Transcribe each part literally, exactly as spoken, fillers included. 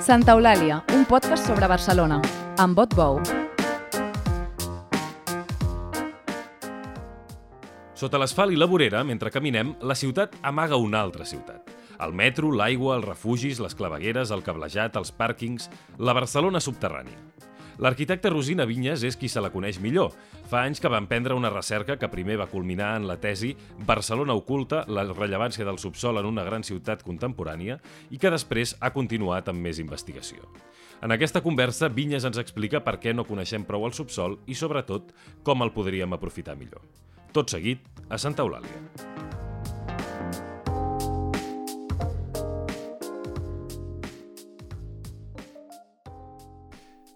Santa Eulàlia, un podcast sobre Barcelona, amb Bot Bou. Sota l'asfalt i la vorera, mentre caminem, la ciutat amaga una altra ciutat. El metro, l'aigua, els refugis, les clavegueres, el cablejat, els pàrquings, la Barcelona subterrània. L'arquitecte Rosina Vinyes és qui se la coneix millor. Fa anys que va emprendre una recerca que primer va culminar en la tesi Barcelona oculta, la rellevància del subsol en una gran ciutat contemporània i que després ha continuat amb més investigació. En aquesta conversa, Vinyes ens explica per què no coneixem prou el subsol i, sobretot, com el podríem aprofitar millor. Tot seguit, a Santa Eulàlia.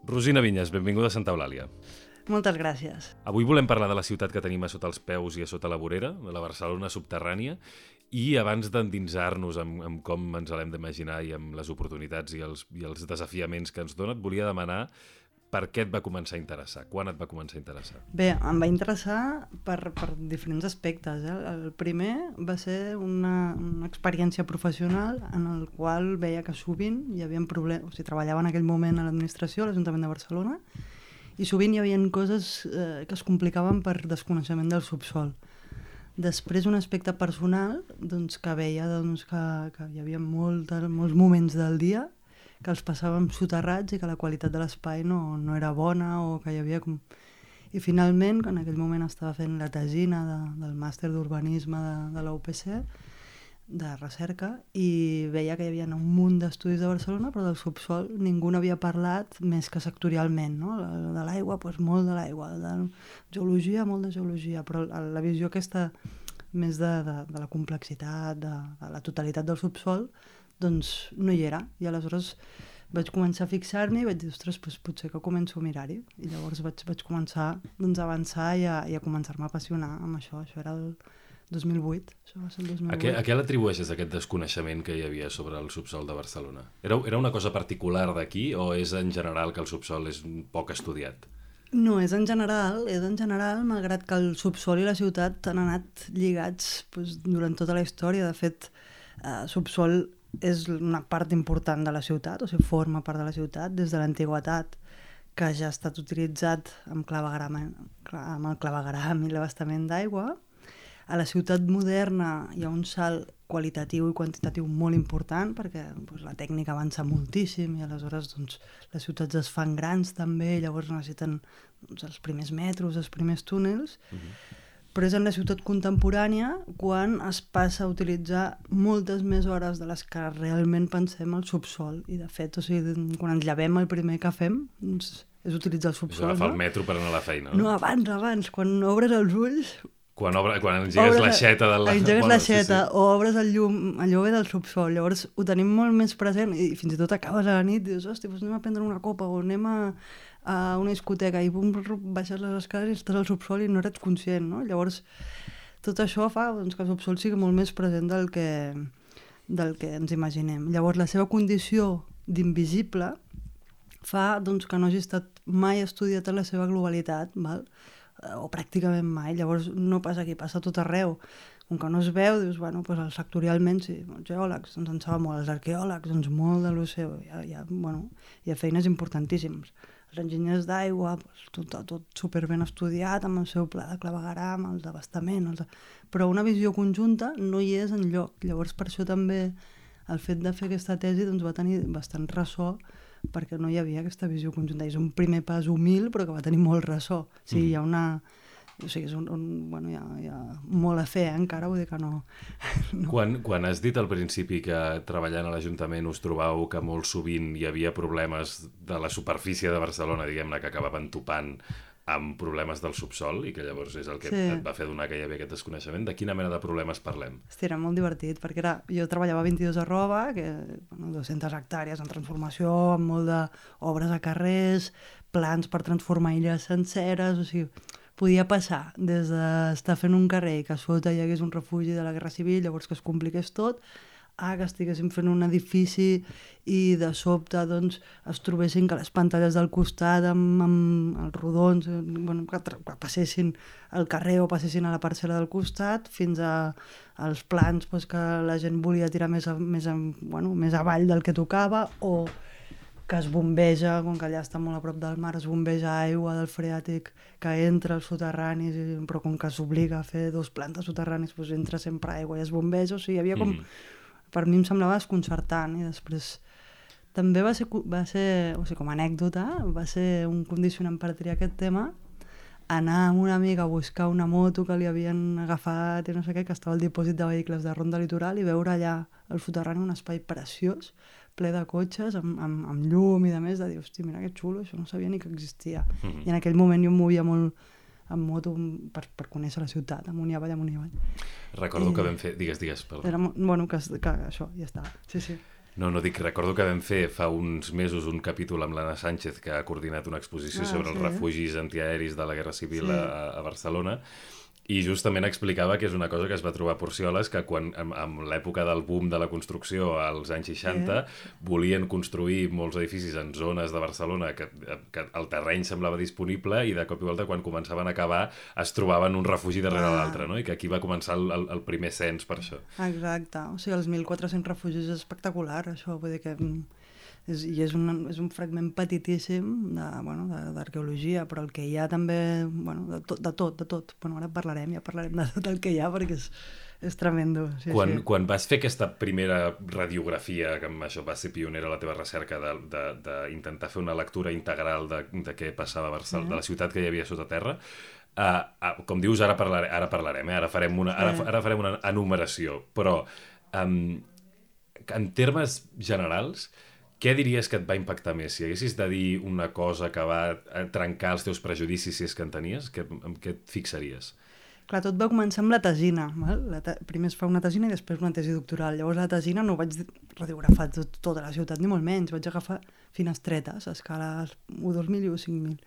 Rosina Vinyes, benvinguda a Santa Eulàlia. Moltes gràcies. Avui volem parlar de la ciutat que tenim a sota els peus i a sota la vorera, de la Barcelona subterrània, i abans d'endinsar-nos amb, amb com ens l'hem d'imaginar i amb les oportunitats i els, i els desafiaments que ens dona, et volia demanar per què et va començar a interessar, quan et va començar a interessar. Bé, em va interessar per, per diferents aspectes. Eh? El primer va ser una, una experiència professional en el qual veia que sovint hi havia problemes, o sigui, treballava en aquell moment a l'administració, a l'Ajuntament de Barcelona, i sovint hi havia coses eh, que es complicaven per desconeixement del subsol. Després, un aspecte personal, doncs, que veia doncs, que, que hi havia molt, molts moments del dia que els passàvem soterrats i que la qualitat de l'espai no, no era bona o que hi havia... Com... I finalment, en aquell moment estava fent la tesina de, del màster d'urbanisme de, de la U P C, de recerca, i veia que hi havia un munt d'estudis de Barcelona, però del subsol ningú n'havia parlat més que sectorialment, no? De l'aigua, doncs molt de l'aigua, de geologia, molt de geologia, però la visió aquesta més de, de, de la complexitat, de, de la totalitat del subsol, doncs no hi era, i aleshores vaig començar a fixar-m'hi i vaig dir, ostres, doncs potser que començo a mirar-hi, i llavors vaig, vaig començar doncs, a avançar i a, i a començar-me a apassionar amb això. Això era el dos mil vuit, això va ser el dos mil vuit. A què, a què l'atribueixes aquest desconeixement que hi havia sobre el subsol de Barcelona? Era, era una cosa particular d'aquí o és en general que el subsol és poc estudiat? No, és en general, és en general, malgrat que el subsol i la ciutat han anat lligats doncs, durant tota la història. De fet, eh, subsol és una part important de la ciutat, o sigui, forma part de la ciutat des de l'antiguitat, que ja ha estat utilitzat amb, clavegram, amb el clavegram i l'abastament d'aigua. A la ciutat moderna hi ha un salt qualitatiu i quantitatiu molt important perquè doncs, la tècnica avança moltíssim i aleshores doncs, les ciutats es fan grans també, llavors necessiten doncs, els primers metros, els primers túnels. Uh-huh. Però és en la ciutat contemporània quan es passa a utilitzar moltes més hores de les que realment pensem al subsol. I de fet, o sigui, quan ens llevem el primer que fem doncs, és utilitzar el subsol. És agafar no? el metro per anar a la feina. No, no abans, abans, quan obres els ulls... Quan, obre, quan engegues l'aixeta de la... Engegues bueno, l'aixeta sí, sí. o obres el llum, allò ve del subsol. Llavors ho tenim molt més present i fins i tot acabes a la nit i dius, hòstia, doncs anem a prendre una copa o anem a, a una discoteca i bum, baixes les escales i estàs al subsol i no eres conscient, no? Llavors tot això fa doncs, que el subsol sigui molt més present del que, del que ens imaginem. Llavors la seva condició d'invisible fa doncs, que no hagi estat mai estudiat en la seva globalitat, val? O pràcticament mai, llavors no passa aquí, passa tot arreu. Com que no es veu, dius, bueno, doncs sectorialment sí, els geòlegs doncs en saben molt, els arqueòlegs doncs molt de l'oceà, hi ha, hi ha, bueno, hi ha feines importantíssimes. Els enginyers d'aigua, doncs, tot, tot superben estudiat amb el seu pla de clavegueram, el d'abastament, els de... però una visió conjunta no hi és enlloc. Llavors per això també el fet de fer aquesta tesi doncs, va tenir bastant ressò perquè no hi havia aquesta visió conjunta. És un primer pas humil, però que va tenir molt ressò. O sigui, mm. hi ha una... O sigui, és un, un, bueno, hi ha, hi ha molt a fer, eh, encara, vull dir que no... no. Quan, quan has dit al principi que treballant a l'Ajuntament us trobàveu que molt sovint hi havia problemes de la superfície de Barcelona, diguem-ne, que acabaven topant amb problemes del subsol i que llavors és el que sí. et va fer donar que hi havia aquest desconeixement. De quina mena de problemes parlem? Hosti, era molt divertit, perquè era, jo treballava a vint-i-dos arroba, que bueno, dues-centes hectàrees en transformació, amb molt d'obres a carrers, plans per transformar illes senceres, o sigui, podia passar des d'estar fent un carrer i que a sota hi hagués un refugi de la Guerra Civil, llavors que es compliqués tot, a que estiguéssim fent un edifici i de sobte doncs, es trobessin que les pantalles del costat amb, amb els rodons bueno, que, que passessin al carrer o passessin a la parcel·la del costat fins a, als plans doncs, que la gent volia tirar més, a, més, a, bueno, més avall del que tocava o que es bombeja, com que allà està molt a prop del mar, es bombeja aigua del freàtic que entra als soterranis, i, però com que s'obliga a fer dos plantes soterranis, doncs entra sempre aigua i es bombeja, o sigui, hi havia com... Mm. Per mi em semblava desconcertant, i després també va ser, va ser, o sigui, com a anècdota, va ser un condicionant per triar aquest tema, anar amb una amiga a buscar una moto que li havien agafat i no sé què, que estava al dipòsit de vehicles de Ronda Litoral, i veure allà al soterrani un espai preciós, ple de cotxes, amb, amb, amb llum i de més, de dir, hosti, mira que xulo, això no sabia ni que existia. Mm-hmm. I en aquell moment jo em movia molt amb moto per, per conèixer la ciutat, amunt i avall, amunt i avall. Recordo I... que vam fer... Digues, digues, perdó. Era, bueno, que, que això, ja està. Sí, sí. No, no dic, recordo que vam fer fa uns mesos un capítol amb l'Anna Sánchez, que ha coordinat una exposició ah, sobre sí, els refugis antiaeris de la Guerra Civil sí. a, a Barcelona, i justament explicava que és una cosa que es va trobar a Porcioles, que quan, en, en l'època del boom de la construcció als anys seixanta, sí. volien construir molts edificis en zones de Barcelona que, que el terreny semblava disponible, i de cop i volta, quan començaven a acabar, es trobaven un refugi darrere ah. l'altre, no? I que aquí va començar el, el, el primer cens per això. Exacte, o sigui, els mil quatre-cents refugis és espectacular, això, vull dir que... És, i és un, és un fragment petitíssim de, bueno, d'arqueologia, però el que hi ha també, bueno, de tot, de tot, de tot. Bueno, ara parlarem, ja parlarem de tot el que hi ha, perquè és, és tremendo. Sí, quan, sí. quan vas fer aquesta primera radiografia, que amb això va ser pionera la teva recerca, d'intentar fer una lectura integral de, de què passava a Barcelona, sí. de la ciutat que hi havia sota terra, uh, uh, com dius, ara, parlare, ara parlarem, eh? ara, farem una, ara, ara farem una enumeració, però um, en termes generals, què diries que et va impactar més? Si haguessis de dir una cosa que va trencar els teus prejudicis, si és que en tenies, que, en què et fixaries? Clar, tot va començar amb la tesina. Val? La te... Primer es fa una tesina i després una tesi doctoral. Llavors la tesina no vaig radiografar tot, tota la ciutat, ni molt menys. Vaig agafar finestretes a escales u, dos mil i u, cinc mil.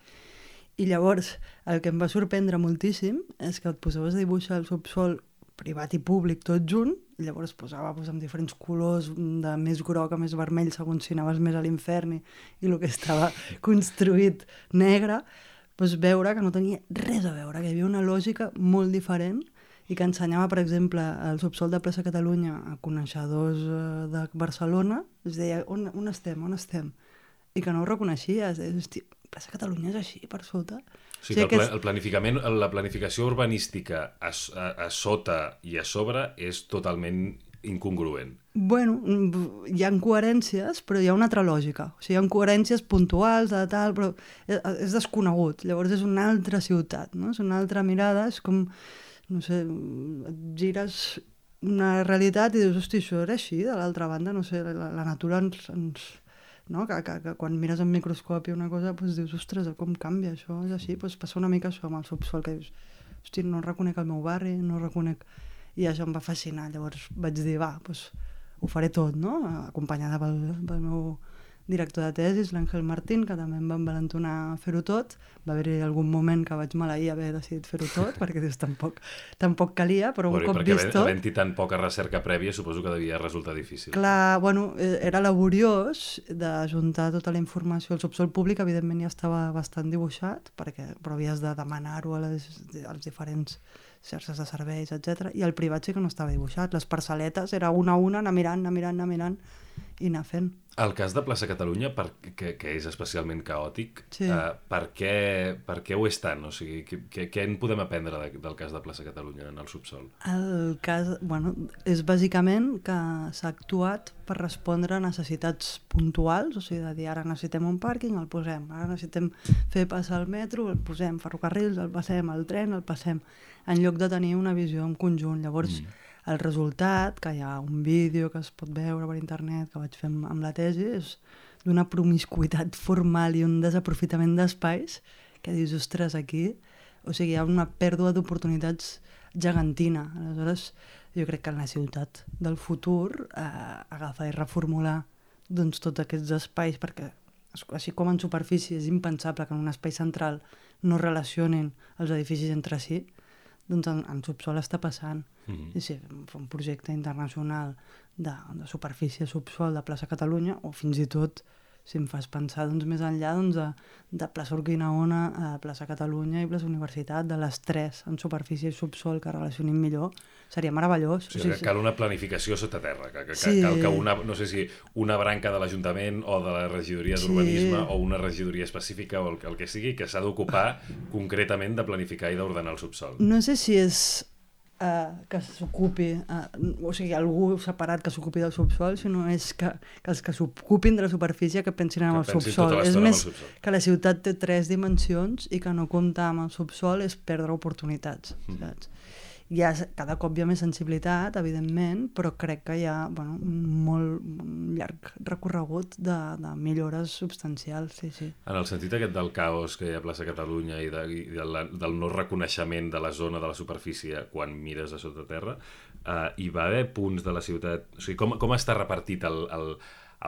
I llavors el que em va sorprendre moltíssim és que et posaves a dibuixar el subsol privat i públic tot junt, i llavors posava pues, amb diferents colors, de més groc a més vermell, segons si anaves més a l'infern, i, i el que estava construït negre, pues, veure que no tenia res a veure, que hi havia una lògica molt diferent, i que ensenyava, per exemple, el subsol de Plaça Catalunya a coneixedors de Barcelona, es deia, on, on estem, on estem? I que no ho reconeixies, és, hosti, Plaça Catalunya és així, per sota. O sigui, que el, el planificament, la planificació urbanística a, a, a sota i a sobre és totalment incongruent. Bueno, hi ha coherències, però hi ha una altra lògica. O sigui, hi ha coherències puntuals, de tal, però és desconegut. Llavors és una altra ciutat, no? És una altra mirada, és com, no sé, et gires una realitat i dius, hosti, això era així, de l'altra banda, no sé, la, la natura ens... ens no? que, que, que quan mires en microscopi una cosa doncs dius, ostres, com canvia això, és així, doncs passa una mica això amb el subsol, que dius, hosti, no reconec el meu barri, no reconec... I això em va fascinar, llavors vaig dir, va, doncs ho faré tot, no? Acompanyada pel, pel meu director de tesis, l'Àngel Martín, que també em va envalentonar a fer-ho tot. Va haver-hi algun moment que vaig maleir haver decidit fer-ho tot, perquè dius, tampoc, tampoc calia, però un bueno, cop vist tot... Havent-hi tan poca recerca prèvia, suposo que devia resultar difícil. Clar, bueno, era laboriós d'ajuntar tota la informació. El subsol públic, evidentment, ja estava bastant dibuixat, perquè, però havies de demanar-ho a les, als diferents xarxes de serveis, etcètera. I el privat sí que no estava dibuixat. Les parcel·letes era una a una, anar mirant, anar mirant, anar mirant i anar fent. El cas de Plaça Catalunya, per, que, que és especialment caòtic, sí. uh, per, què, per què ho és tant? O sigui, què, què en podem aprendre de, del cas de Plaça Catalunya en el subsol? El cas, bueno, és bàsicament que s'ha actuat per respondre a necessitats puntuals, o sigui, de dir, ara necessitem un pàrquing, el posem, ara necessitem fer passar el metro, el posem, ferrocarrils, el passem, el tren, el passem, en lloc de tenir una visió en conjunt. Llavors, mm. el resultat, que hi ha un vídeo que es pot veure per internet, que vaig fer amb la tesi, és d'una promiscuitat formal i un desaprofitament d'espais que dius, ostres, aquí... O sigui, hi ha una pèrdua d'oportunitats gegantina. Aleshores, jo crec que en la ciutat del futur eh, agafar i reformular doncs, tots aquests espais, perquè així com en superfície és impensable que en un espai central no relacionin els edificis entre si, doncs en, en subsol està passant. Mm-hmm. I si fa un projecte internacional de, de superfície subsol de Plaça Catalunya, o fins i tot si em fas pensar doncs, més enllà doncs, de, de plaça Urquinaona a plaça Catalunya i plaça Universitat, de les tres en superfície i subsol que relacionin millor, seria meravellós. O sigui, o sigui, cal una planificació sota terra, que, que, sí. cal que una, no sé si una branca de l'Ajuntament o de la regidoria d'urbanisme sí. o una regidoria específica o el, el que sigui, que s'ha d'ocupar concretament de planificar i d'ordenar el subsol. No sé si és Uh, que s'ocupi, uh, o sigui, algú separat que s'ocupi del subsol, sinó és que, que els que s'ocupin de la superfície que pensin en que el subsol. Tota és més subsol. Que la ciutat té tres dimensions i que no comptar amb el subsol és perdre oportunitats, mm. saps? Hi ha, cada cop hi ha més sensibilitat, evidentment, però crec que hi ha bueno, un molt un llarg recorregut de, de millores substancials, sí, sí. En el sentit aquest del caos que hi ha a plaça Catalunya i, de, i de la, del no reconeixement de la zona de la superfície quan mires a sota terra, eh, hi va haver punts de la ciutat... O sigui, com, com està repartit el, el,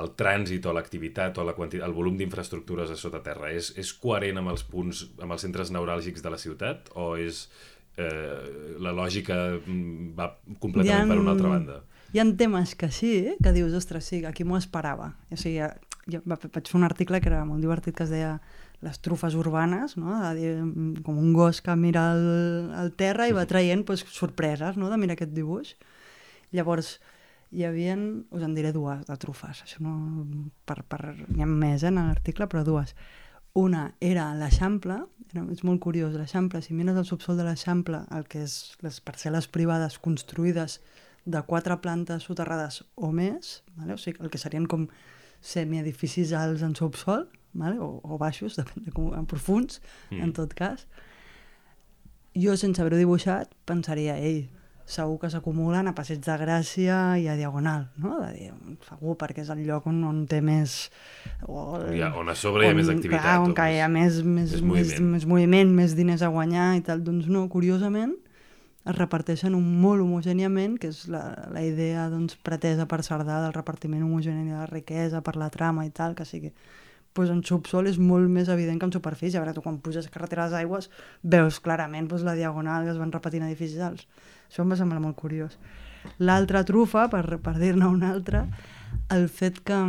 el trànsit o l'activitat o la quantitat, el volum d'infraestructures a sota terra? És, és coherent amb els punts, amb els centres neuràlgics de la ciutat o és... Eh, la lògica va completament ha, per una altra banda? Hi ha temes que sí, que dius, ostres, sí, aquí m'ho esperava. O sigui, jo vaig fer un article que era molt divertit que es deia les trufes urbanes, no? De dir, com un gos que mira el, el terra i va traient pues, sorpreses, no? De mirar aquest dibuix. Llavors, hi havia, us en diré dues de trufes, això no, per, per, n'hi ha més eh, en l'article, però dues. Una era l'Eixample, és molt curiós, l'Eixample, si mires el subsol de l'Eixample, el que és les parcel·les privades construïdes de quatre plantes soterrades o més, vale? O sigui, el que serien com semiedificis alts en subsol, vale? o, o baixos, depèn de com, en profuns, mm. en tot cas, jo sense haver-ho dibuixat pensaria, ei, segur que s'acumulen a Passeig de Gràcia i a Diagonal, no? De dir, segur, perquè és el lloc on, on té més... O el, ja, on a sobre hi ha on, més activitat. Clar, on hi ha més, més, més, més, moviment. més moviment, més diners a guanyar i tal. Doncs no, curiosament, es reparteixen un molt homogèniament, que és la, la idea doncs, pretesa per Cerdà del repartiment homogeni de la riquesa, per la trama i tal, que sigui... Pues en subsol és molt més evident que en superfície. A veure, tu quan puges a carretera de les aigües veus clarament pues, la diagonal que es van repetint edificis alts. Això em va semblar molt curiós. L'altra trufa, per, per dir-ne una altra, el fet que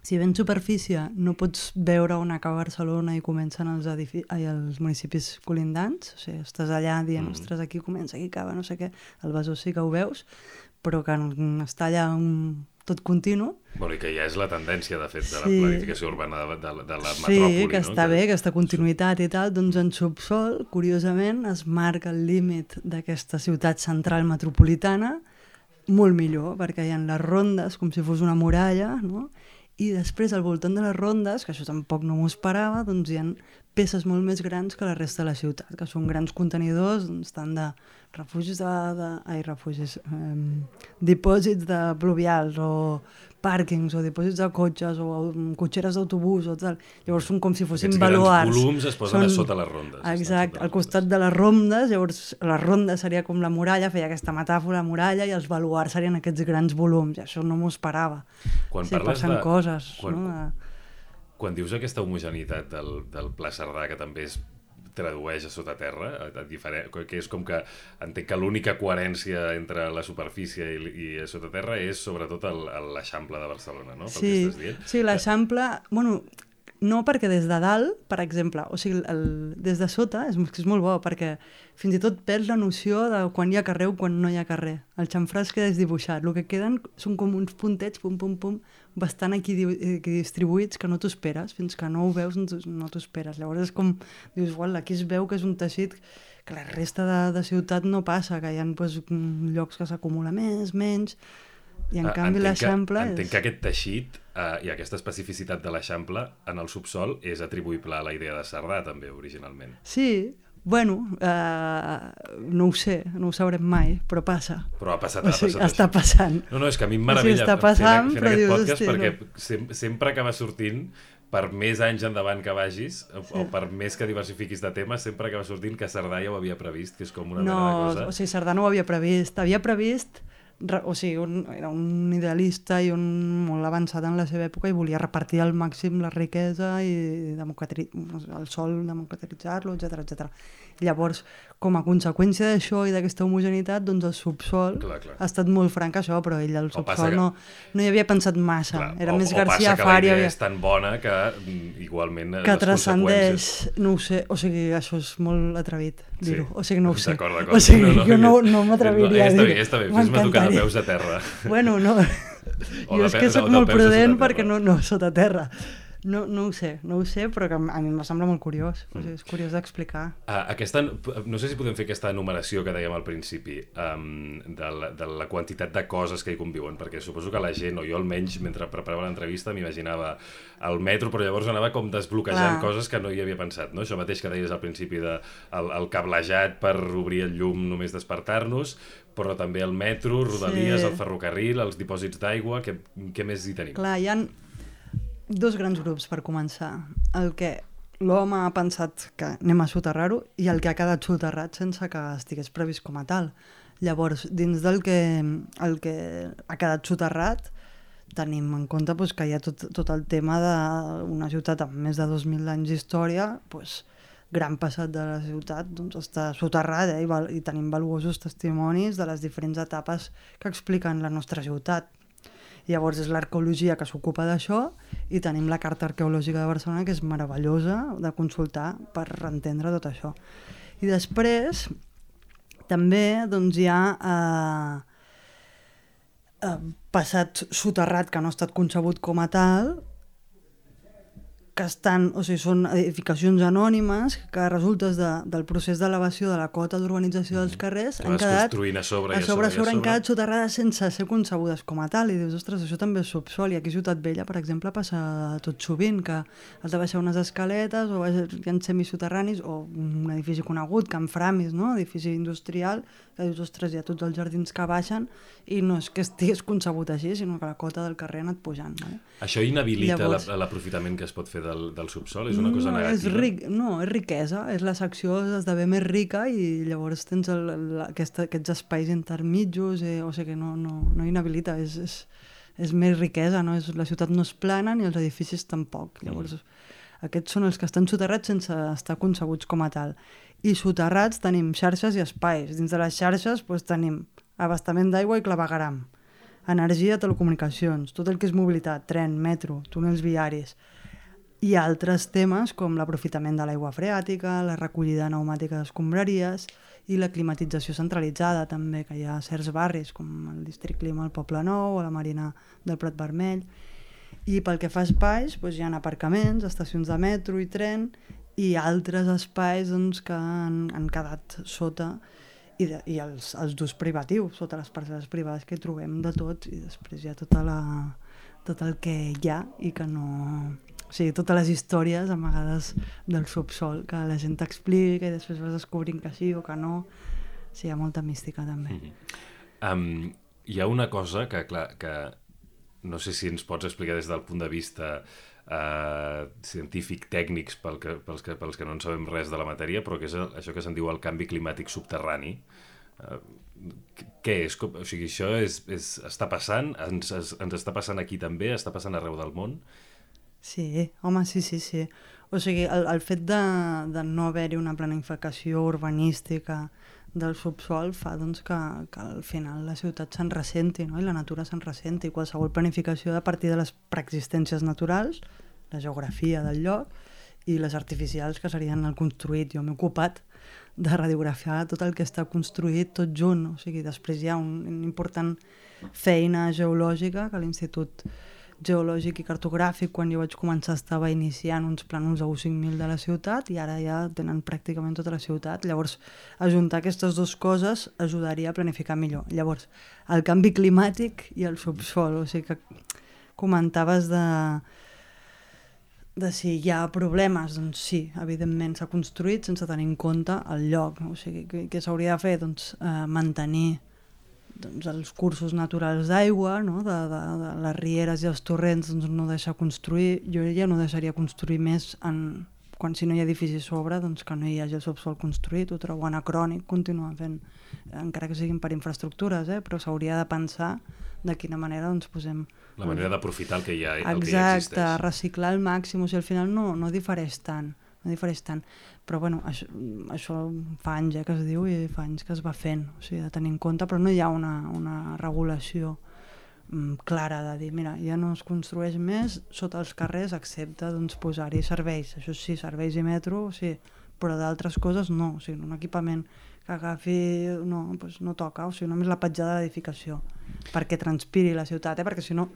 si ben superfície no pots veure on acaba Barcelona i comencen els, edifici, ai, els municipis colindants, o sigui, estàs allà dient, mm. ostres, aquí comença, aquí acaba, no sé què, el Besòs sí que ho veus, però que està allà un... tot continu. Bueno, i que ja és la tendència, de fet, de la sí. planificació urbana de, de, de la sí, metròpoli. Sí, que no? està bé, aquesta continuïtat i tal. Doncs en subsol, curiosament, es marca el límit d'aquesta ciutat central metropolitana molt millor, perquè hi ha les rondes, com si fos una muralla, no? I després, al voltant de les rondes, que això tampoc no m'ho esperava, doncs hi ha peces molt més grans que la resta de la ciutat, que són grans contenidors, doncs, tant de refugis de... de ai, refugis... Eh, dipòsits de pluvials o pàrquings o dipòsits de cotxes o cotxeres d'autobús o tal. Llavors són com si fossin baluars. Aquests grans volums es posen són... a sota les rondes. Exacte, al costat de les rondes, llavors la ronda seria com la muralla, feia aquesta metàfora de muralla, i els baluars serien aquests grans volums, i això no m'ho esperava. Quan sí, parles passen de... coses, quan... no? De... Quan dius aquesta homogeneïtat del, del Pla Cerdà, que també es tradueix a sota terra, a, a diferent, que és com que entenc que l'única coherència entre la superfície i, i a sota terra és sobretot l'Eixample de Barcelona, no? Pel sí, que estàs dient. Sí, l'Eixample, bueno, no perquè des de dalt, per exemple, o sigui, el, des de sota és, és molt bo, perquè fins i tot perds la noció de quan hi ha carrer o quan no hi ha carrer. El xamfrà es queda desdibuixat, el que queden són com uns puntets, pum, pum, pum, bastant aquí, aquí distribuïts que no t'ho esperes, fins que no ho veus no t'ho esperes. Llavors és com, dius, ual, aquí es veu que és un teixit que la resta de, de ciutat no passa, que hi ha pues, llocs que s'acumula més, menys, i en ah, canvi l'Eixample és... Entenc que aquest teixit eh, i aquesta especificitat de l'Eixample en el subsol és atribuïble a la idea de Cerdà també, originalment. Sí, bueno, eh, no ho sé, no ho sabrem mai, però passa. Però ha passat, o ha sigui, passat està això. Passant. No, no, és que a mi em meravella o sigui, està passant, fent, fent aquest dius, podcast hosti, perquè no. sem sempre acaba sortint, per més anys endavant que vagis, sí. o per més que diversifiquis de temes, sempre acaba sortint que Cerdà ja ho havia previst, que és com una no, mena de cosa. No, o sigui, Cerdà no ho havia previst. Havia previst o sigui, un, era un idealista i un molt avançat en la seva època i volia repartir al màxim la riquesa i democratri... el sol, democratitzar-lo, etcètera, etcètera. Llavors, com a conseqüència d'això i d'aquesta homogeneïtat, doncs el subsol clar, clar. ha estat molt franc això, però ell el subsol que... no, no hi havia pensat massa. Clar, era o, més o García Fari. O passa que la idea havia... és tan bona que igualment que les transcendeix, conseqüències... no ho sé, o sigui, això és molt atrevit dir-ho, sí. o sigui, no ho sé. D'acord, d'acord. O sigui, no, no, jo no, no m'atreviria no, a dir-ho. Ja està bé, ja està bé, fes-me tocar de peus a terra. Bueno, no, jo és que soc molt prudent perquè no, no sota terra. No, no ho sé, no ho sé, però que a mi em sembla molt curiós. Mm. O sigui, és curiós d'explicar. Uh, aquesta, no sé si podem fer aquesta enumeració que dèiem al principi um, de, la, de la quantitat de coses que hi conviuen, perquè suposo que la gent, o jo almenys, mentre preparava l'entrevista, m'imaginava el metro, però llavors anava com desbloquejant Clar. coses que no hi havia pensat, no? Això mateix que deies al principi de el, el cablejat per obrir el llum només despertar-nos, però també el metro, Rodalies, sí. el ferrocarril, els dipòsits d'aigua, què, què més hi tenim? Clar, hi ha dos grans grups per començar. El que l'home ha pensat que anem a soterrar-ho i el que ha quedat soterrat sense que estigués previst com a tal. Llavors, dins del que, el que ha quedat soterrat, tenim en compte doncs, que hi ha tot, tot el tema d'una ciutat amb més de dos mil anys d'història, doncs, gran passat de la ciutat doncs, està soterrada eh, i, val, i tenim valuosos testimonis de les diferents etapes que expliquen la nostra ciutat. Llavors és l'arqueologia que s'ocupa d'això i tenim la Carta Arqueològica de Barcelona, que és meravellosa de consultar per entendre tot això. I després també doncs, hi ha eh, eh, passat soterrat que no ha estat concebut com a tal, que estan, o sigui, són edificacions anònimes que resultes de, del procés d'elevació de la cota d'urbanització dels carrers han quedat construint a sobre, a sobre, a sobre, a han quedat soterrades sense ser concebudes com a tal i dius, ostres, això també és subsol i aquí a Ciutat Vella, per exemple, passa tot sovint que has de baixar unes escaletes o hi ha semisoterranis o un edifici conegut, Can Framis, no? Edifici industrial, que dius, ostres, hi ha tots els jardins que baixen i no és que estigués concebut així, sinó que la cota del carrer ha anat pujant. No? Això inhabilita Llavors, l'aprofitament que es pot fer del, del subsol? És una cosa no, negativa? És ric, no, és riquesa. És la secció esdevé més rica i llavors tens el, el, aquesta, aquests espais intermitjos, eh, o sigui que no, no, no inhabilita, és, és, és més riquesa, no? És, la ciutat no és plana ni els edificis tampoc. Llavors, mm. aquests són els que estan soterrats sense estar concebuts com a tal. I soterrats tenim xarxes i espais. Dins de les xarxes doncs, tenim abastament d'aigua i clavegueram, energia, telecomunicacions, tot el que és mobilitat, tren, metro, túnels viaris, i altres temes com l'aprofitament de l'aigua freàtica, la recollida pneumàtica d'escombraries i la climatització centralitzada també, que hi ha certs barris com el District Clima al Poble Nou o la Marina del Prat Vermell. I pel que fa a espais, doncs hi ha aparcaments, estacions de metro i tren i altres espais doncs, que han, han quedat sota i, de, i els, els d'ús privatiu, sota les parcel·les privades que hi trobem de tot i després hi ha tota la, tot el que hi ha i que no... O sigui, totes les històries amagades del subsol que la gent t'explica i després vas descobrint que sí o que no. O sigui, hi ha molta mística també. Mm-hmm. um, hi ha una cosa que, clar, que no sé si ens pots explicar des del punt de vista Uh, científic, tècnics pel que, pels, que, pels que no en sabem res de la matèria, però que és el, això que se'n diu el canvi climàtic subterrani. Uh, què és? Com, o sigui, això és, és, està passant? Ens, es, ens està passant aquí també? Està passant arreu del món? Sí, home, sí, sí, sí. O sigui, el, el fet de, de no haver-hi una planificació urbanística del subsol fa doncs, que, que al final la ciutat se'n ressenti, no? I la natura se'n ressenti. Qualsevol planificació a partir de les preexistències naturals, la geografia del lloc, i les artificials que serien el construït. Jo m'he ocupat de radiografiar tot el que està construït tot junt. O sigui, després hi ha un, una important feina geològica que l'Institut Geològic i Cartogràfic, quan jo vaig començar, estava iniciant uns plànols a U cinc mil de la ciutat i ara ja tenen pràcticament tota la ciutat. Llavors, ajuntar aquestes dues coses ajudaria a planificar millor. Llavors, el canvi climàtic i el subsol, o sigui que comentaves de, de si hi ha problemes, doncs sí, evidentment s'ha construït sense tenir en compte el lloc. O sigui, què s'hauria de fer? Doncs eh, mantenir doncs, els cursos naturals d'aigua, no? de, de, de les rieres i els torrents, doncs, no deixar construir. Jo ja no deixaria construir més en quan si no hi ha edifici a sobre, doncs que no hi hagi el subsol construït, ho trobo anacrònic, continuar fent, encara que siguin per infraestructures, eh? Però s'hauria de pensar de quina manera doncs, posem... La manera d'aprofitar el que ja, el Exacte, que ja existeix. Exacte, reciclar al màxim, o sigui, al final no, no difereix tant, no difereix tant. Però bueno, això, això fa anys eh, que es diu i fa anys que es va fent, o sigui, de tenir en compte, però no hi ha una, una regulació mm, clara de dir, mira, ja no es construeix més sota els carrers, excepte doncs, posar-hi serveis, això sí, serveis i metro, sí, però d'altres coses no, o sigui, un equipament que agafi, no, doncs no toca, o sigui, només la petjada de l'edificació, perquè transpiri la ciutat, eh? Perquè si no,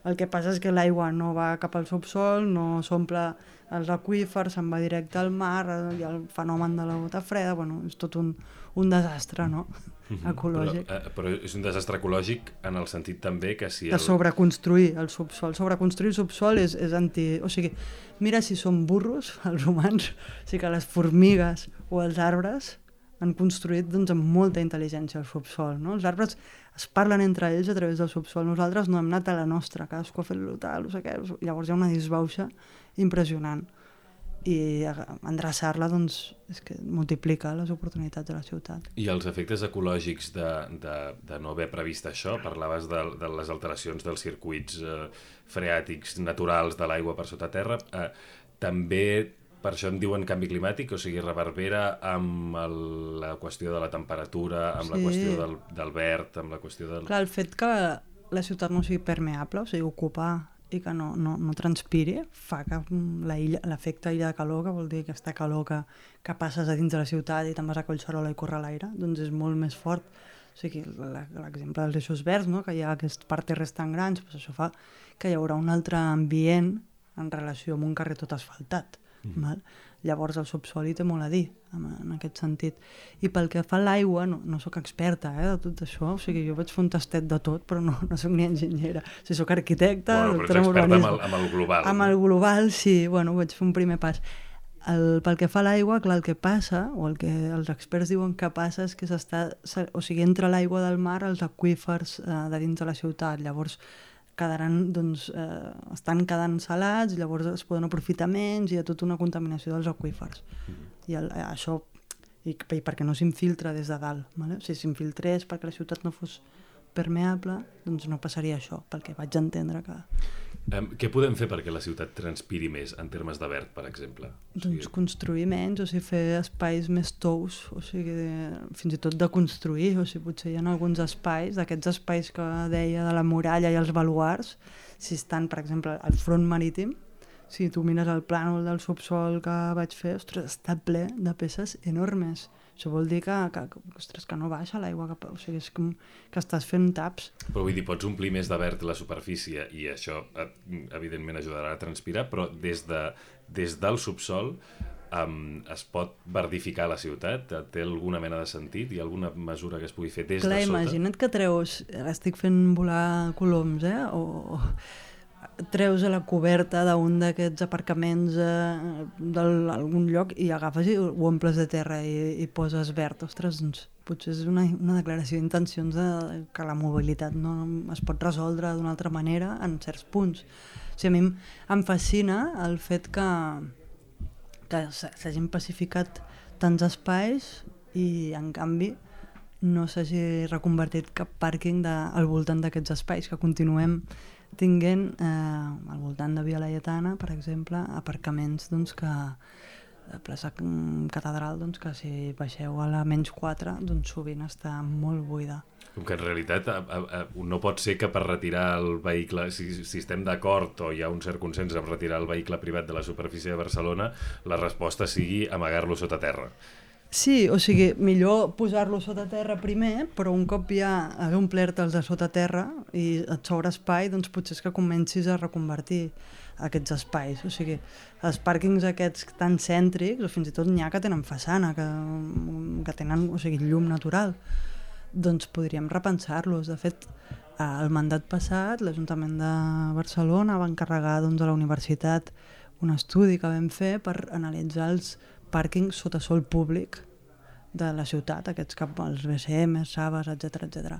el que passa és que l'aigua no va cap al subsol, no s'omple els aqüífers, se'n va directe al mar, hi ha el fenomen de la gota freda, bueno, és tot un, un desastre, no?, ecològic. Però, eh, però és un desastre ecològic en el sentit també que si... El... El... De sobreconstruir el subsol. Sobreconstruir el subsol és, és anti... O sigui, mira si som burros, els humans, o sigui que les formigues o els arbres han construït doncs, amb molta intel·ligència el subsol, no? Els arbres es parlen entre ells a través del subsol, nosaltres no hem anat a la nostra, cadascú ha fet el tal, no sé què, llavors hi ha una disbauxa impressionant i endreçar-la doncs, és que multiplica les oportunitats de la ciutat. I els efectes ecològics de, de, de no haver previst això, parlaves de, de les alteracions dels circuits eh, freàtics naturals de l'aigua per sota terra, eh, també per això en diuen canvi climàtic, o sigui, reverbera amb el, la qüestió de la temperatura, amb sí. la qüestió del, del verd, amb la qüestió del... Clar, el fet que la ciutat no sigui permeable, o sigui, ocupar i que no, no, no transpiri, fa que l'efecte illa de calor, que vol dir aquesta calor que, que passes a dins de la ciutat i te'n vas a Collserola i corre a l'aire, doncs és molt més fort. O sigui, l'exemple dels eixos verds, no? Que hi ha aquests parterres tan grans, doncs això fa que hi haurà un altre ambient en relació amb un carrer tot asfaltat. Mm. Val? Llavors el subsol hi té molt a dir en, en aquest sentit, i pel que fa a l'aigua no, no sóc experta eh, de tot això, o sigui, jo vaig fer un tastet de tot però no, no sóc ni enginyera, o sigui, soc arquitecta, bueno, doctora en urbanisme urbanisme amb el, amb el global amb el global, sí, bueno, vaig fer un primer pas. El, pel que fa a l'aigua, clar, el que passa, o el que els experts diuen que passa és que s'està, o sigui, entra l'aigua del mar als aqüífers eh, de dins de la ciutat, llavors quedaran, doncs, eh, estan quedant salats, llavors es poden aprofitar menys i hi ha tota una contaminació dels aqüífers. Mm-hmm. I el, això, i, i perquè no s'infiltra des de dalt. Vale? Si s'infiltrés perquè la ciutat no fos permeable, doncs no passaria això, pel que vaig entendre que... Um, què podem fer perquè la ciutat transpiri més en termes de verd, per exemple? O sigui... Doncs construir menys, o sigui, fer espais més tous, o sigui, de, fins i tot de construir, o sigui, potser hi ha alguns espais, d'aquests espais que deia de la muralla i els baluars, si estan, per exemple, al front marítim, si tu mires el plànol del subsol que vaig fer, ostres, està ple de peces enormes. Això vol dir que, que, ostres, que no baixa l'aigua, que, o sigui, és com que estàs fent taps. Però vull dir, pots omplir més de verd la superfície i això evidentment ajudarà a transpirar, però des, de, des del subsol um, es pot verdificar la ciutat? Té alguna mena de sentit? Hi ha alguna mesura que es pugui fer des Clar, de sota? Imagina't que treus, ara estic fent volar coloms, eh? o treus a la coberta d'un d'aquests aparcaments eh, d'algun lloc i agafes i ho omples de terra i, i poses verd. Ostres, doncs, potser és una, una declaració d'intencions de, que la mobilitat no es pot resoldre d'una altra manera en certs punts. O sigui, a mi em fascina el fet que, que s'hagin pacificat tants espais i, en canvi, no s'hagi reconvertit cap pàrquing de, al voltant d'aquests espais, que continuem tinguent eh, al voltant de Via Laietana, per exemple, aparcaments doncs, que a plaça Catedral, doncs, que si baixeu a la menys quatre, doncs sovint està molt buida. Com que en realitat a, a, a, no pot ser que per retirar el vehicle, si, si estem d'acord o hi ha un cert consens en retirar el vehicle privat de la superfície de Barcelona, la resposta sigui amagar-lo sota terra. Sí, o sigui, millor posar-lo sota terra primer, però un cop ja haver omplert-te'ls de sota terra i et sobra espai, doncs potser és que comencis a reconvertir aquests espais. O sigui, els pàrquings aquests tan cèntrics, o fins i tot n'hi ha que tenen façana, que, que tenen, o sigui, llum natural, doncs podríem repensar-los. De fet, el mandat passat, l'Ajuntament de Barcelona va encarregar doncs, a la universitat un estudi que vam fer per analitzar els pàrquings sota sol públic de la ciutat, aquests cap als B C M, Saves, etcètera etcètera.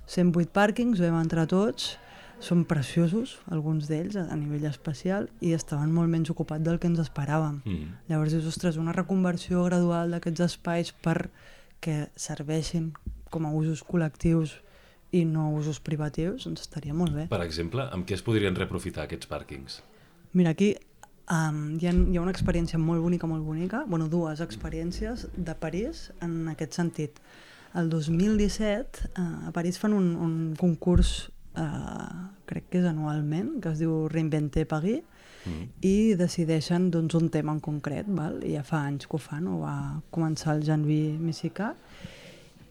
cent vuit pàrquings, vam entrar tots, són preciosos, alguns d'ells, a nivell espacial, i estaven molt menys ocupats del que ens esperàvem. Mm. Llavors dius, ostres, una reconversió gradual d'aquests espais perquè serveixin com a usos col·lectius i no usos privatius, doncs estaria molt bé. Per exemple, amb què es podrien reaprofitar aquests pàrquings? Mira, aquí um, hi, ha, hi ha una experiència molt bonica, molt bonica, bueno, dues experiències de París en aquest sentit. El dos mil disset uh, a París fan un, un concurs, uh, crec que és anualment, que es diu Reinventer Paris, mm. i decideixen doncs, un tema en concret, val? I ja fa anys que ho fan, ho va començar el Jean-Louis Missika,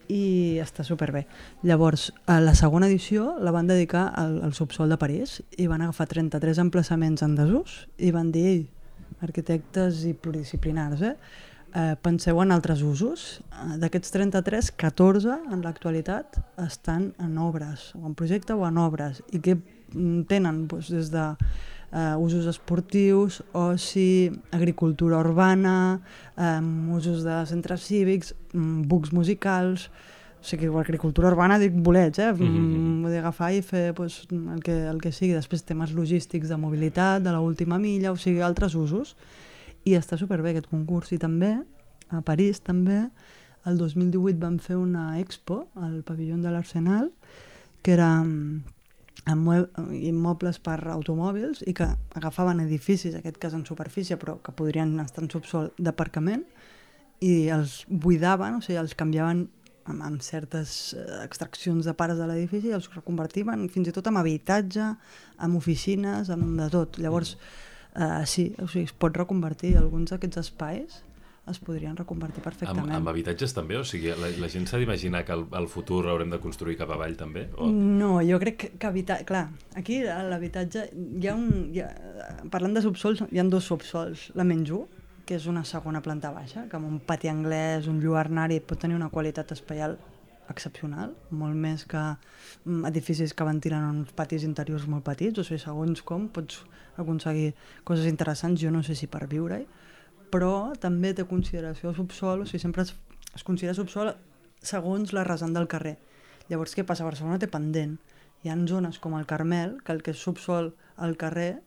i està superbé. Llavors, a la segona edició la van dedicar al, al subsol de París i van agafar trenta-tres emplaçaments en desús i van dir, ei, arquitectes i pluridisciplinars, eh? Eh, penseu en altres usos. D'aquests trenta-tres, catorze en l'actualitat estan en obres, o en projecte o en obres, i que tenen doncs, des de Uh, usos esportius, oci, agricultura urbana, um, usos de centres cívics, um, bucs musicals, o sigui, agricultura urbana dic bolets, eh? Mm-hmm. Vull dir, agafar i fer pues, el, que, el que sigui. Després temes logístics de mobilitat, de l'última milla, o sigui, altres usos. I està superbé aquest concurs. I també, a París també, el dos mil divuit vam fer una expo al pavelló de l'Arsenal, que era amb immobles per automòbils i que agafaven edificis, en aquest cas en superfície, però que podrien estar en subsol d'aparcament, i els buidaven, o sigui, els canviaven amb, amb certes extraccions de pares de l'edifici i els reconvertiven fins i tot en habitatge, en oficines, en de tot. Llavors, eh, sí, o sigui, es pot reconvertir. Alguns d'aquests espais es podrien reconvertir perfectament. Amb, amb habitatges també? O sigui, la, la gent s'ha d'imaginar que el, el futur haurem de construir cap avall també? O... No, jo crec que, que habitatge... Clar, aquí l'habitatge... Hi ha un... Hi ha, parlant de subsols, hi ha dos subsols. La menys u, que és una segona planta baixa, que amb un pati anglès, un lluernari, pot tenir una qualitat espaial excepcional, molt més que edificis que ventilen uns patis interiors molt petits, o sigui, segons com pots aconseguir coses interessants, jo no sé si per viure-hi, però també té consideració subsol, o sigui, sempre es, es considera subsol segons la rasant del carrer. Llavors, què passa? Barcelona té pendent. Hi ha zones com el Carmel, que el que és subsol al carrer,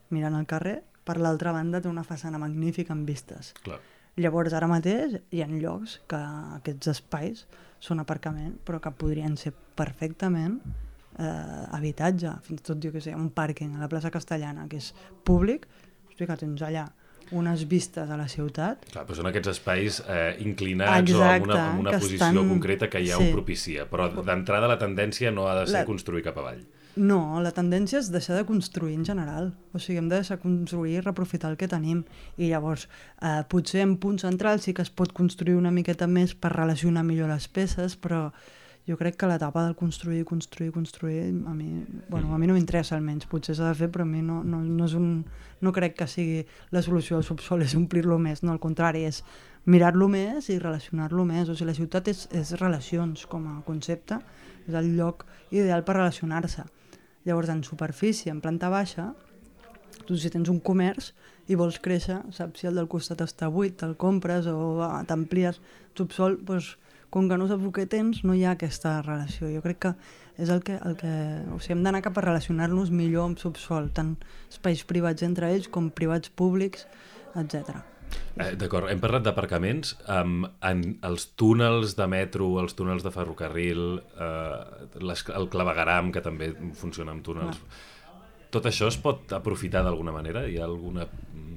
mirant al carrer, per l'altra banda té una façana magnífica amb vistes. Clar. Llavors, ara mateix hi ha llocs que aquests espais són aparcament, però que podrien ser perfectament eh, habitatge. Fins i tot, jo què sé, un pàrquing a la plaça Castellana, que és públic, hosti, que tens allà unes vistes a la ciutat. Clar, però són aquests espais eh, inclinats. Exacte, o amb una, amb una posició estan... concreta que ja sí. ho propicia, però d'entrada la tendència no ha de ser la... construir cap avall. No, la tendència és deixar de construir en general. O sigui, hem de deixar construir i reaprofitar el que tenim. I llavors, eh, potser en punts centrals sí que es pot construir una miqueta més per relacionar millor les peces, però jo crec que l'etapa del construir, construir, construir, a mi, bueno, a mi no m'interessa almenys, potser s'ha de fer, però a mi no, no, no, és un, no crec que sigui la solució al subsol, és omplir-lo més, no, al contrari, és mirar-lo més i relacionar-lo més. O sigui, la ciutat és, és relacions com a concepte, és el lloc ideal per relacionar-se. Llavors, en superfície, en planta baixa, tu si tens un comerç i vols créixer, saps si el del costat està buit, te'l compres o ah, t'amplies. Subsol, doncs, com que no saps el que tens, no hi ha aquesta relació. Jo crec que és el que... El que o sigui, hem d'anar cap a relacionar-nos millor amb subsol, tant espais privats entre ells com privats públics, etcètera. Eh, D'acord, hem parlat d'aparcaments. Um, en els túnels de metro, els túnels de ferrocarril, eh, les, el clavegueram, que també funciona amb túnels... Ah. Tot això es pot aprofitar d'alguna manera? Hi ha alguna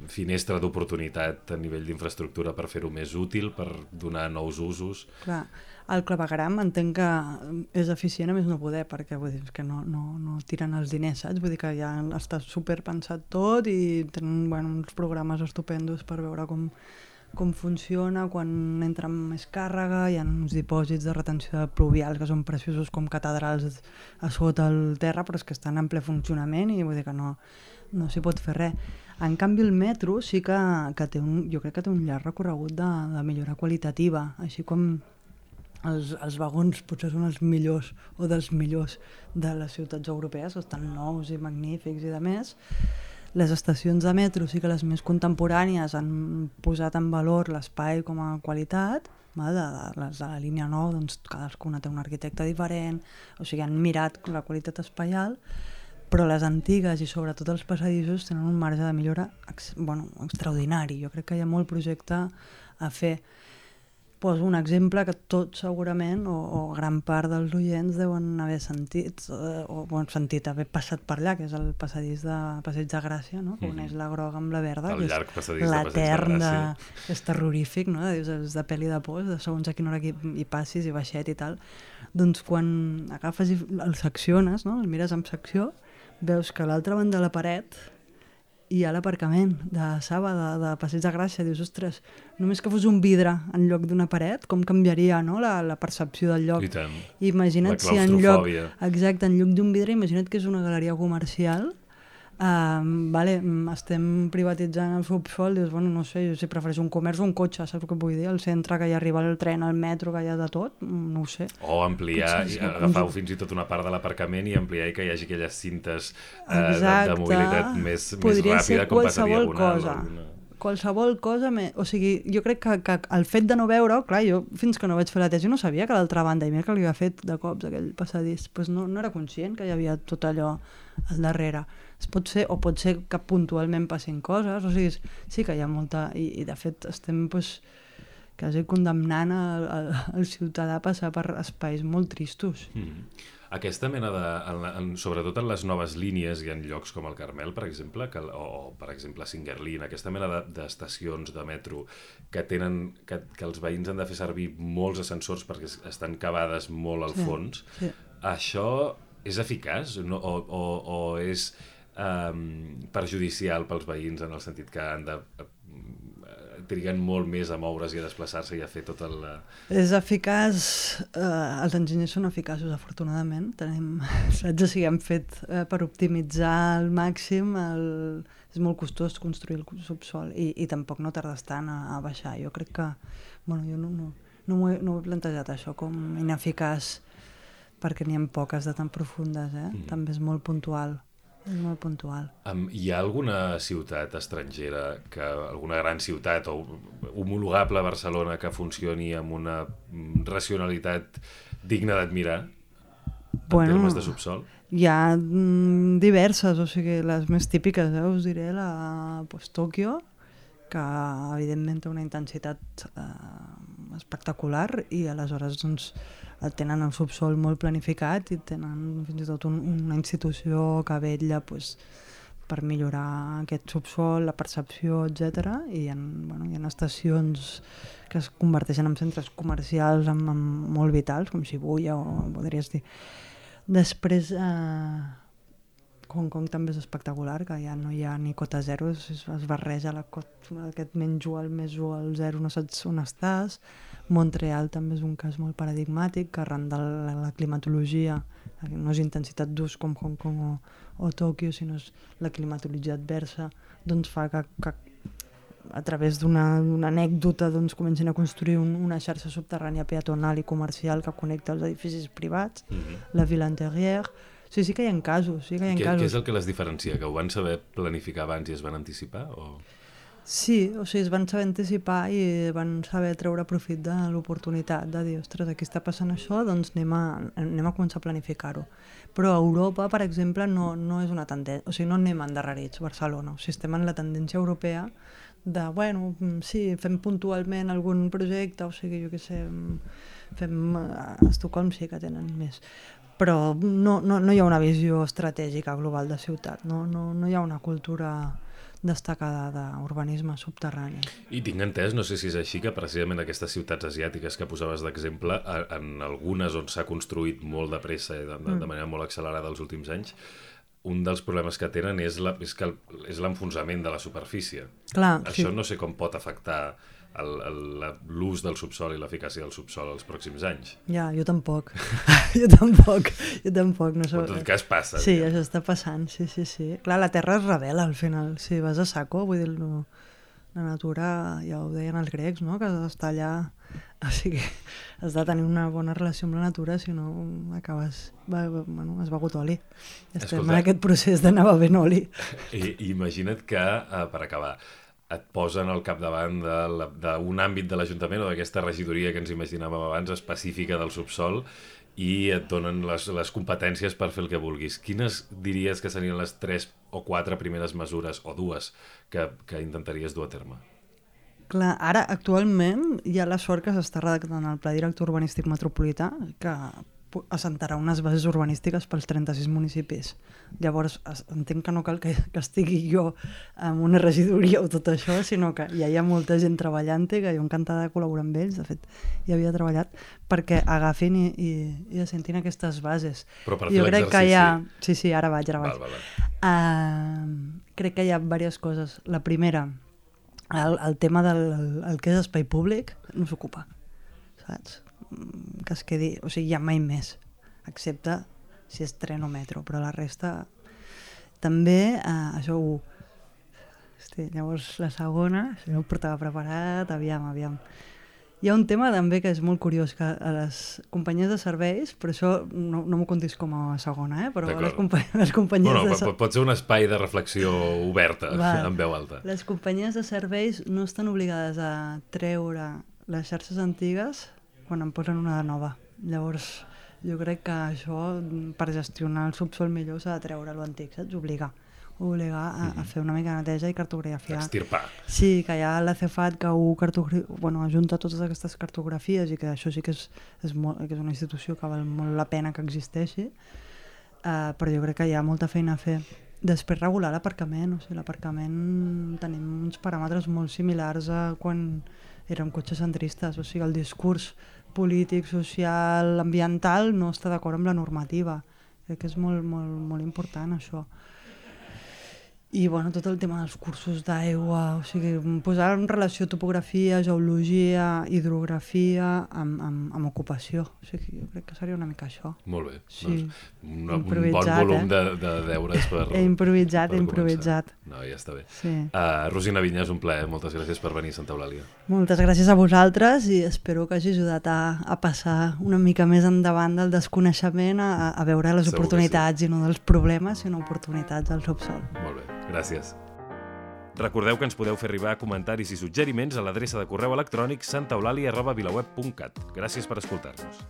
finestra d'oportunitat a nivell d'infraestructura per fer-ho més útil, per donar nous usos? Clar, el clavegueram entenc que és eficient a més no poder, perquè vull dir, és que no, no, no tiren els diners, saps? Vull dir que ja està superpensat tot i tenen bueno, uns programes estupendos per veure com, com funciona, quan entra més càrrega, hi ha uns dipòsits de retenció de pluvials que són preciosos com catedrals a sota el terra, però és que estan en ple funcionament i vull dir que no, no s'hi pot fer res. En canvi el metro sí que, que té un, jo crec que té un llarg recorregut de, de millora qualitativa, així com els, els vagons potser són els millors o dels millors de les ciutats europees, estan nous i magnífics i de més. Les estacions de metro sí que les més contemporànies han posat en valor l'espai com a qualitat, de, de, les de la línia nou, doncs cadascuna té un arquitecte diferent, o sigui, han mirat la qualitat espaial, però les antigues i sobretot els passadissos tenen un marge de millora ex, bueno, extraordinari. Jo crec que hi ha molt projecte a fer. Poso un exemple que tots segurament, o, o gran part dels oients deuen haver sentit, eh, o bon, sentit, haver passat per allà, que és el passadís de Passeig de Gràcia, no? Que uneix la groga amb la verda, el que llarg passadís és de Passeig de Gràcia. que és terrorífic, no? Dius, és de pel·li de por, de segons a quina hora hi, hi passis, i baixet i tal. Doncs quan agafes i el secciones, no? El mires amb secció, veus que a l'altra banda de la paret hi ha l'aparcament de Saba, de, de Passeig de Gràcia. Dius, ostres, només que fos un vidre en lloc d'una paret, com canviaria, no? la, la percepció del lloc. I tant. Imagina't la si en lloc, claustrofòbia. exacte, en lloc d'un vidre, imagina't que és una galeria comercial. Uh, vale, estem privatitzant el subsol, dius, bueno, no sé, jo si prefereixo un comerç o un cotxe, saps el que vull dir? Al centre, que hi arriba el tren, el metro, que hi ha de tot, no ho sé. O ampliar, Potser, sí, agafar fins i tot una part de l'aparcament i ampliar i que hi hagi aquelles cintes eh, de, Exacte. de mobilitat més, Podria més ràpida, com passa diagonal. Cosa. Alguna... Qualsevol cosa, me... o sigui, jo crec que, que el fet de no veure-ho, clar, jo fins que no vaig fer la tesi no sabia que a l'altra banda, i mira que li havia fet de cops aquell passadís, pues no, no era conscient que hi havia tot allò al darrere. Es pot ser, o pot ser que puntualment passin coses, o sigui, sí que hi ha molta, i, i de fet estem pues, quasi condemnant el, el, el ciutadà a passar per espais molt tristos. Mm. Aquesta mena de, en, en, sobretot en les noves línies i en llocs com el Carmel, per exemple, que, o, o per exemple Singuerlín, aquesta mena d'estacions de, de metro que tenen, que, que els veïns han de fer servir molts ascensors perquè estan cavades molt al sí, fons, sí. Això és eficaç no? o, o, o és um, perjudicial pels veïns en el sentit que han de triguen molt més a moure's i a desplaçar-se i a fer tot el... És eficaç, eh, els enginyers són eficaços, afortunadament. Tenim, saps, o sigui, hem fet eh, per optimitzar al màxim, el... és molt costós construir el subsol i, i tampoc no tardes tant a, a baixar. Jo crec que, bueno, jo no, no, no, ho he, no ho he plantejat això com ineficaç perquè n'hi ha poques de tan profundes, eh? Mm. També és molt puntual. És molt puntual. Um, hi ha alguna ciutat estrangera, que alguna gran ciutat o homologable a Barcelona que funcioni amb una racionalitat digna d'admirar en bueno, termes de subsol? Hi ha mm, diverses, o sigui, les més típiques, eh? Us diré la pues, Tòquio, que evidentment té una intensitat eh, espectacular i aleshores doncs, tenen el subsol molt planificat i tenen fins i tot un, una institució que vetlla pues, per millorar aquest subsol, la percepció, etcètera. I hi ha, bueno, hi ha estacions que es converteixen en centres comercials amb, amb molt vitals, com Shibuya o podries dir. Després, eh, Hong Kong també és espectacular, que ja no hi ha ni cota zero, es, es barreja la cota, aquest menys u al més u al zero, no saps on estàs. Montreal també és un cas molt paradigmàtic, que arran de la, la climatologia, no és intensitat d'ús com Hong Kong o, o Tòquio, sinó és la climatologia adversa, doncs fa que, que a través d'una anècdota doncs, comencin a construir un, una xarxa subterrània peatonal i comercial que connecta els edificis privats, mm-hmm. la Ville Intérieure. Sí, sí que hi ha casos. Sí que hi ha què, casos. Què és el que les diferencia? Que ho van saber planificar abans i es van anticipar? O... Sí, o sigui, es van saber anticipar i van saber treure profit de l'oportunitat de dir, ostres, aquí està passant això, doncs anem a, anem a començar a planificar-ho. Però a Europa, per exemple, no, no és una tendència, o sigui, no anem endarrerits, Barcelona. O sigui, estem en la tendència europea de, bueno, sí, fem puntualment algun projecte, o sigui, jo què sé, fem a Estocolm sí que tenen més. Però no, no, no hi ha una visió estratègica global de ciutat, no, no, no hi ha una cultura destacada d'urbanisme subterrani. I tinc entès, no sé si és així, que precisament aquestes ciutats asiàtiques que posaves d'exemple, en algunes on s'ha construït molt de pressa i de, de manera molt accelerada els últims anys, un dels problemes que tenen és, la, és, que el, és l'enfonsament de la superfície. Clar, això sí. No sé com pot afectar l'ús del subsol i l'eficàcia del subsol els pròxims anys. Ja, jo tampoc. jo tampoc. Jo tampoc. No sé. En tot cas passa. Sí, diguem. Això està passant, sí, sí, sí. Clar, la Terra es revela al final. Si vas a saco, vull dir, no, la natura, ja ho deien els grecs, no? Que has d'estar allà, o sigui, has de tenir una bona relació amb la natura, si no acabes, va, bueno, has begut oli. Estem Escolta, en aquest procés d'anar bevent oli. I, imagina't que, uh, per acabar, et posen al capdavant d'un àmbit de l'Ajuntament o d'aquesta regidoria que ens imaginàvem abans, específica del subsol, i et donen les, les competències per fer el que vulguis. Quines diries que serien les tres o quatre primeres mesures, o dues, que, que intentaries dur a terme? Clar, ara, actualment, hi ha la sort que s'està redactant el Pla Director Urbanístic Metropolità, que assentarà unes bases urbanístiques pels trenta-sis municipis. Llavors, entenc que no cal que, que estigui jo amb una regidoria o tot això, sinó que ja hi ha molta gent treballant-hi, que jo encantada de col·laborar amb ells, de fet, ja havia treballat, perquè agafin i, i, i assentin aquestes bases. Però per fer jo crec que l'exercici... hi ha... Sí, sí, ara vaig, ara vaig. Val, val, val. Uh, crec que hi ha diverses coses. La primera, el, el tema del el, el que és espai públic no s'ocupa, saps? Que es quedi, o sigui, ja mai més, excepte si és tren o metro, però la resta també, eh, això ho... Hosti, llavors la segona, si no ho portava preparat, aviam, aviam. Hi ha un tema també que és molt curiós, que a les companyies de serveis, però això no, no m'ho contis com a segona, eh? Però les, compa les companyies bueno, de serveis... Pot ser un espai de reflexió oberta, Val. en veu alta. Les companyies de serveis no estan obligades a treure les xarxes antigues quan en posen una de nova. Llavors, jo crec que això, per gestionar el subsol millor, s'ha de treure l'antic, saps? Obligar. Obligar a, a fer una mica de neteja i cartografiar. Extirpar. Sí, que hi ha l'A C F A T que ho bueno, ajunta totes aquestes cartografies i que això sí que és, és, molt, que és una institució que val molt la pena que existeixi, uh, però jo crec que hi ha molta feina a fer. Després regular l'aparcament, o sigui, l'aparcament tenim uns paràmetres molt similars a quan érem cotxes centristes, o sigui, el discurs polític, social, ambiental no està d'acord amb la normativa. Crec que és molt, molt, molt important això. I bueno, tot el tema dels cursos d'aigua, o sigui, posar en relació topografia, geologia, hidrografia amb, amb, amb ocupació. O sigui, jo crec que seria una mica això. Molt bé. Sí. Doncs un, un bon volum eh? de, de deures per He improvisat, per he improvisat. No, ja està bé. Sí. Uh, Rosina Vinyes, un plaer. Moltes gràcies per venir a Santa Eulàlia. Moltes gràcies a vosaltres i espero que hagi ajudat a, a passar una mica més endavant del desconeixement a, a veure les Segur oportunitats sí. i no dels problemes, sinó oportunitats al subsol. Molt bé. Gràcies. Recordeu que ens podeu fer arribar comentaris i suggeriments a l'adreça de correu electrònic santaeulàlia arroba vilaweb punt cat. Gràcies per escoltar-nos.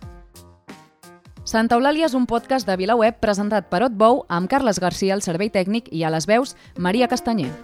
Santa Eulàlia és un podcast de VilaWeb presentat per Otbou amb Carles Garcia al servei tècnic i a les veus Maria Castanyer.